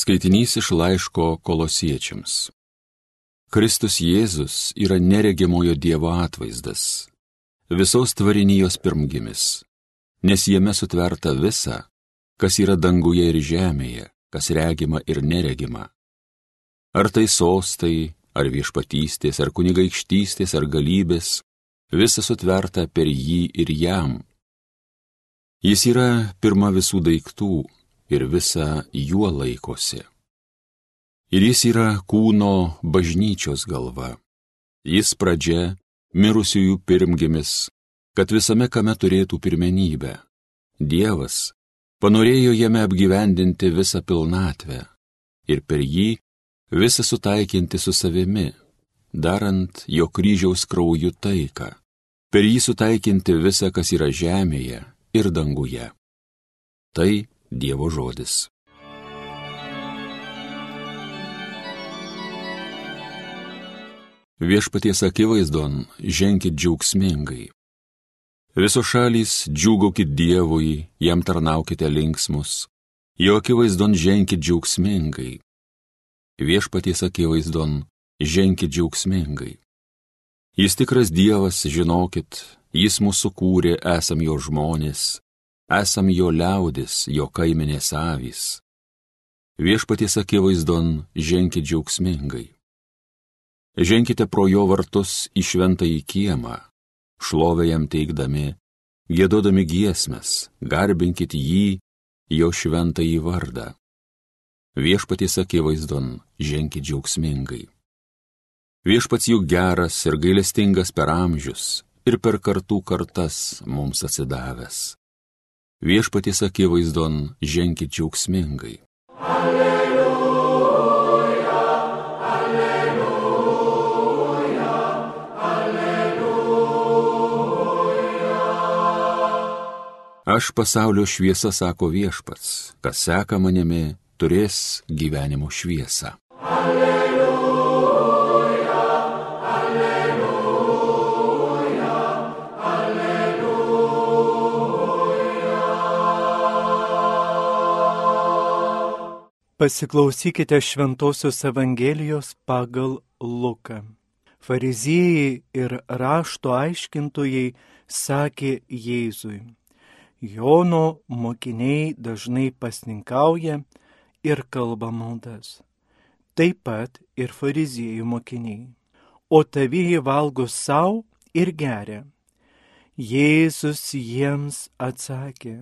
Skaitinys iš laiško Kolosiečiams. Kristus Jėzus yra neregimojo Dievo atvaizdas, visos tvarinijos pirmgimis, nes jame sutverta visa, kas yra danguje ir žemėje, kas regima ir neregima. Ar tai sostai, ar viešpatystės, ar kunigaikštystės, ar galybės, visa sutverta per jį ir jam. Jis yra pirma visų daiktų ir visa juo laikosi. Ir jis yra kūno bažnyčios galva. Jis pradžia, mirusiųjų pirmgimis, kad visame kame turėtų pirmenybę. Dievas panorėjo jame apgyvendinti visą pilnatvę ir per jį visą sutaikinti su savimi, darant jo kryžiaus krauju taiką, per jį sutaikinti visą, kas yra žemėje ir danguje. Tai Dievo žodis. Viešpaties akivaizdon ženkit džiaugsmingai. Visos šalys džiūgaukit Dievui, jam tarnaukite linksmus, jo akivaizdon ženkit džiaugsmingai. Viešpaties akivaizdon ženkit džiaugsmingai. Jis tikras Dievas, žinokit, jis mūsų kūrė, esam jo žmonės, esam jo liaudis, jo kaimenės avys. Viešpaties akivaizdon ženkit džiaugsmingai. Ženkite pro jo vartus į šventąjį kiemą, šlovę jam teikdami, giedodami giesmes, garbinkit jį, jo šventąjį vardą. Viešpaties akivaizdon ženkit džiaugsmingai. Viešpats juk geras ir gailestingas per amžius ir per kartų kartas mums atsidavęs. Viešpaties akivaizdon ženkit džiaugsmingai. Alleluja, alleluja, alleluja. Aš pasaulio šviesa, sako viešpats, kas seka manimi, turės gyvenimo šviesą. Pasiklausykite Šventosios Evangelijos pagal Luką. Fariziejai ir rašto aiškintojai sakė Jėzui: Jono mokiniai dažnai pasninkauja ir kalba maldas, taip pat ir fariziejų mokiniai, o tavieji valgo sau ir geria. Jėzus jiems atsakė: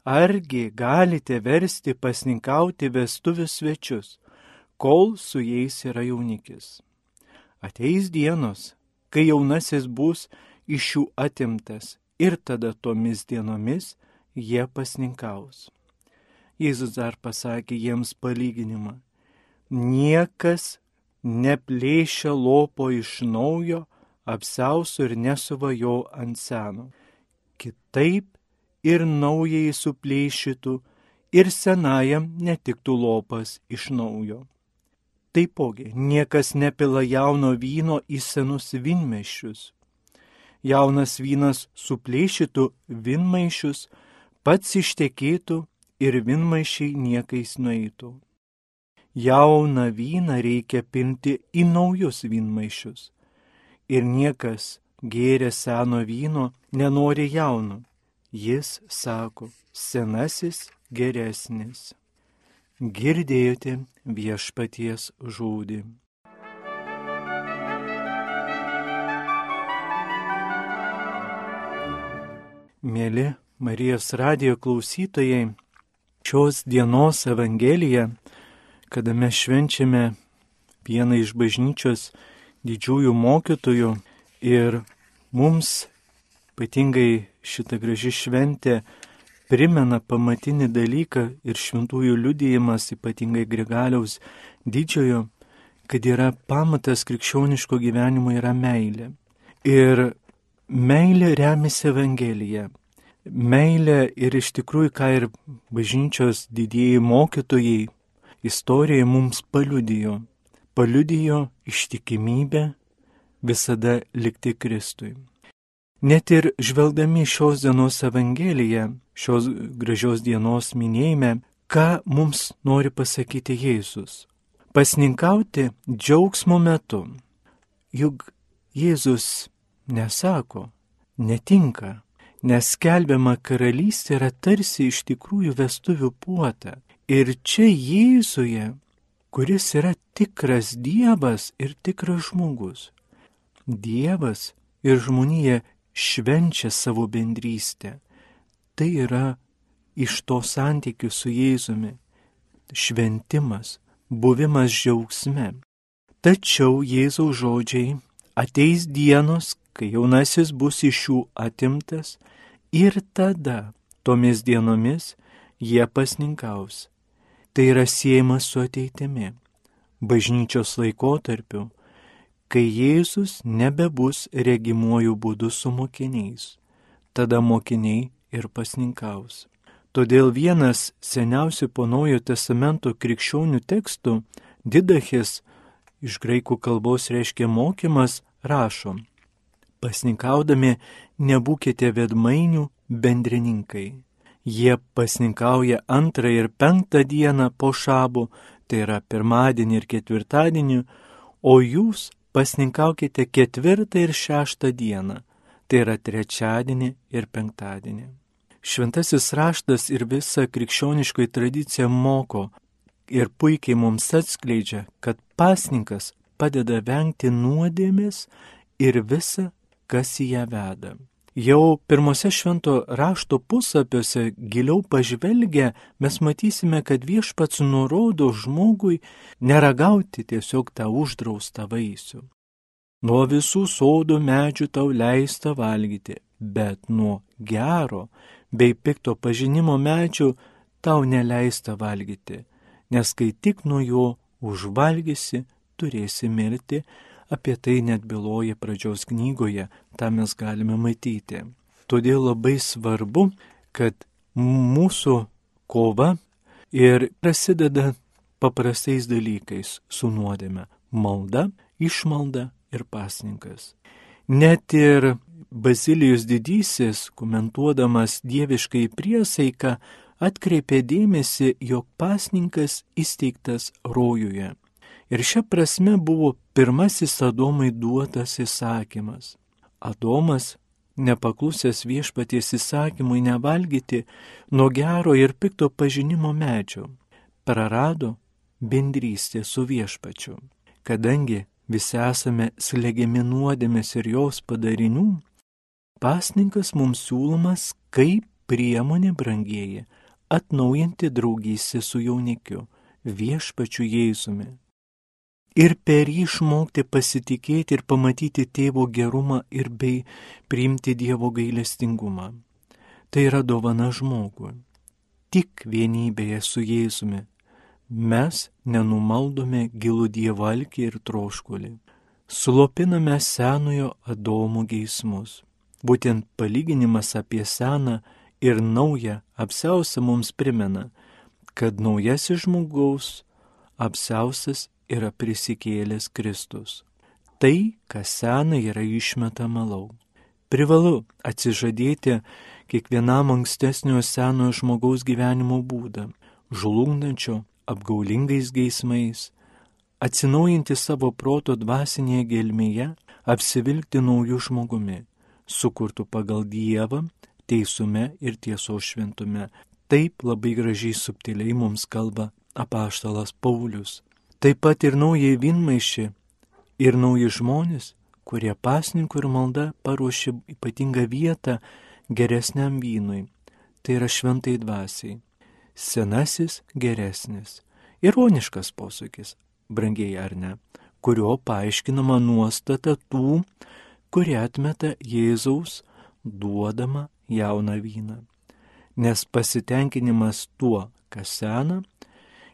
Argi galite versti pasninkauti vestuvių svečius, kol su jais yra jaunikis? Ateis dienos, kai jaunasis bus iš jų atimtas, ir tada tomis dienomis jie pasninkaus. Jėzus dar pasakė jiems palyginimą: Niekas neplėšia lopo iš naujo, apsiausto ir nesuva jo ant seno. Kitaip ir naujai suplėšytų, ir senajam netiktų lopas iš naujo. Taipogi, niekas nepila jauno vyno į senus vynmaišius. Jaunas vynas suplėšytų vynmaišius, pats ištekėtų ir vynmaišiai niekais nueitų. Jauną vyną reikia pinti į naujus vynmaišius. Ir niekas gėręs seno vyno nenori jauno. Jis sako, senasis geresnis. Girdėjote viešpaties žodį. Mėly Marijos radijo klausytojai, šios dienos Evangeliją, kada mes švenčiame vieną iš bažnyčios didžiųjų mokytojų ir mums ypatingai šita graži šventė primena pamatinį dalyką ir šventųjų liudijimas, ypatingai Grigaliaus didžiojo, kad yra pamatas krikščioniško gyvenimo yra meilė. Ir meilė remiasi Evangelija. Meilė ir iš tikrųjų, ką ir bažnyčios didieji mokytojai istorijoje mums paliudijo. Paliudijo ištikimybę visada likti Kristui. Net ir žvelgdami šios dienos Evangeliją, šios gražios dienos minėjime, Ką mums nori pasakyti Jėzus? Pasninkauti džiaugsmo metu. Juk Jėzus nesako, netinka, nes skelbiama karalystė yra tarsi iš tikrųjų vestuvių puota. Ir čia Jėzuje, kuris yra tikras Dievas ir tikras žmogus. Dievas ir žmonija švenčia savo bendrystę. Tai yra iš to santykių su Jėzumi. Šventimas, buvimas džiaugsme. Tačiau Jėzaus žodžiai: ateis dienos, kai jaunasis bus iš jų atimtas, ir tada, tomis dienomis, jie pasninkaus. Tai yra siejama su ateitimi, bažnyčios laikotarpiu, kai Jėzus nebebus regimuoju būdu su mokiniais. Tada mokiniai ir pasninkaus. Todėl vienas seniausių po Naujojo testamento krikščionių tekstų, Didachis, iš graikų kalbos reiškia mokymas, rašo: pasninkaudami nebūkite veidmainių bendrininkai. Jie pasninkauja 2 ir 5 dieną po šabų, tai yra pirmadienį ir ketvirtadienį, o jūs pasninkaukite 4 ir 6 dieną, tai yra trečiadienį ir penktadienį. Šventasis raštas ir visa krikščioniškoji tradicija moko ir puikiai mums atskleidžia, kad pasninkas padeda vengti nuodėmės ir visa, kas į ją veda. Jau pirmose švento rašto puslapiuose giliau pažvelgę mes matysime, kad Viešpats nurodo žmogui neragauti tiesiog tą uždraustą vaisių. Nuo visų sodo medžių tau leista valgyti, bet nuo gero bei pikto pažinimo medžių tau neleista valgyti, nes kai tik nuo jo užvalgysi, turėsi mirti. Apie tai net byloja pradžios knygoje, tą mes galime matyti. Todėl labai svarbu, kad mūsų kova ir prasideda paprastais dalykais su nuodėme – malda, išmalda ir pasninkas. Net ir Bazilijus Didysis, komentuodamas dieviškai priesaiką, atkreipė dėmesį, jog pasninkas įsteigtas rojuje. Ir šia prasme buvo pirmasis Adomui duotas įsakymas. Adomas, nepaklusęs Viešpaties įsakymui nevalgyti nuo gero ir pikto pažinimo medžio, prarado bendrystę su Viešpačiu. Kadangi visi esame slegiami nuodėmės ir jos padarinių, pasninkas mums siūlomas kaip priemonė, brangieji, atnaujinti draugystę su jaunikiu, Viešpačiu Jėzumi. Ir per jį išmokti pasitikėti ir pamatyti tėvo gerumą ir bei priimti Dievo gailestingumą. Tai yra dovana žmogui. Tik vienybėje su Jėzumi mes nenumaldome gilų Dievo alkį ir troškulį. Slopiname senojo Adomo geismus. Būtent palyginimas apie seną ir naują apsiaustą mums primena, kad naujasis žmogaus apsiaustas yra prisikėlęs Kristus. Tai, kas sena, yra išmetama lauk. Privalu atsižadėti kiekvienam ankstesnio senojo žmogaus gyvenimo būdą, žlugdančio apgaulingais geismais, atsinaujinti savo proto dvasinėje gelmėje, apsivilkti naujų žmogumi, sukurtų pagal Dievą, teisume ir tiesos šventume. Taip labai gražiai subtiliai mums kalba apaštalas Paulius. Taip pat ir naujai vynmaišį ir nauji žmonės, kurie pasninkų ir malda paruošė ypatingą vietą geresniam vynui. Tai yra šventai dvasiai. Senasis geresnis. Ironiškas posakis, brangiai ar ne, kurio paaiškinama nuostata tų, kurie atmeta Jėzaus duodamą jauną vyną. Nes pasitenkinimas tuo, kas sena,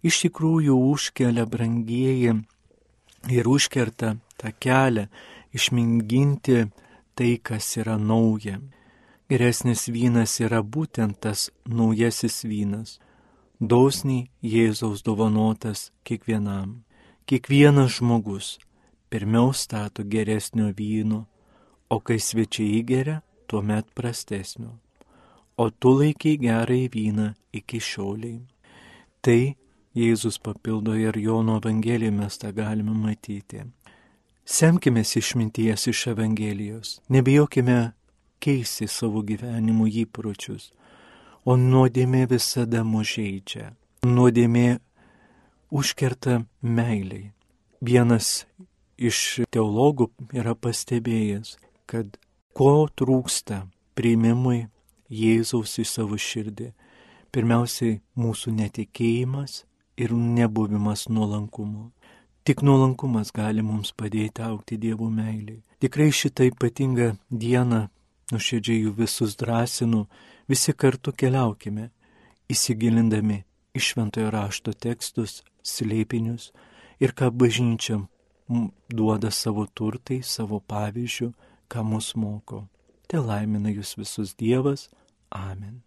iš tikrųjų užkelia, brangieji, ir užkerta tą kelią išmėginti tai, kas yra nauja. Geresnis vynas yra būtent tas naujasis vynas, dosniai Jėzaus dovanotas kiekvienam. Kiekvienas žmogus pirmiau stato geresnio vyno, o kai svečiai įgeria, tuomet prastesnio. O tu laikai gerąjį vyną iki šioliai. Tai Jėzus papildo ir Jono Evangelijoje mes tą galime matyti. Semkime išminties iš Evangelijos, nebijokime keisti savo gyvenimo įpročius, o nuodėmė visada mus žeidžia. Nuodėmė užkerta meiliai. Vienas iš teologų yra pastebėjęs, kad ko trūksta priėmimui Jėzaus į savo širdį. Pirmiausiai mūsų netikėjimas ir nebuvimas nuolankumu. Tik nuolankumas gali mums padėti augti Dievo meilei. Tikrai šitą ypatingą dieną nuoširdžiai jų visus drąsinu, visi kartu keliaukime, įsigilindami į Šventojo rašto tekstus, slėpinius ir ką bažnyčia duoda savo turtai, savo pavyzdžių, ką mus moko. Te laimina jūs visus Dievas. Amen.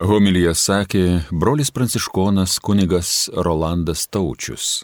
Homiliją sakė brolis pranciškonas kunigas Rolandas Taučius.